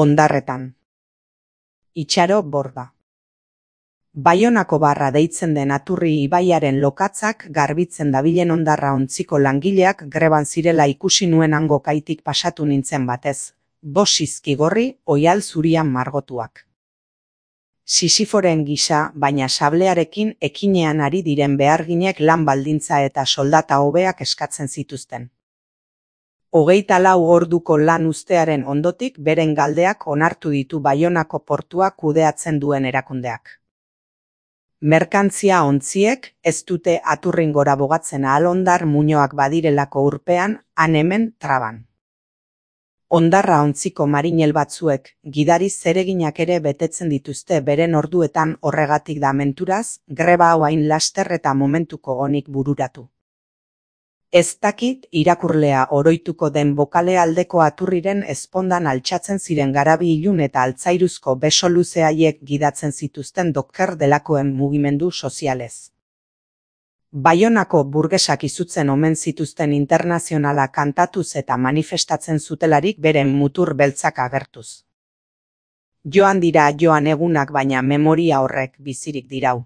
Ondarretan. Itxaro Borda. Baionako Barra deitzen den Aturri ibaiaren lokatzak garbitzen dabilen hondarra ontziko langileak greban zirela ikusi nuen hango kaitik pasatu nintzen batez, bost izkigorri oihal zurian margotuak. Sisiforen gisa, baina sablearekin ekinean ari diren beharginek lan baldintza eta soldata hobeak eskatzen zituzten. 24 orduko lan uztearen ondotik beren galdeak onartu ditu Baionako portua kudeatzen duen erakundeak. Merkantzia ontziek ez dute Aturringora bogatzen ahal hondar muinoak badirelako urpean, han hemen traban. Hondarra ontziko marinel batzuek gidari zereginak ere betetzen dituzte beren orduetan horregatik da menturaz, greba hau hain laster eta momentuko onik bururatu. Ez dakit irakurlea oroituko den bokale aldeko Aturriren ezpondan altxatzen ziren garabi ilun eta altzairuzko beso luze haiek gidatzen zituzten dokker delakoen mugimendu sozialez. Baionako burgesak izutzen omen zituzten internazionala kantatuz eta manifestatzen zutelarik beren mutur beltzak agertuz. Joan dira joan egunak baina memoria horrek bizirik dirau.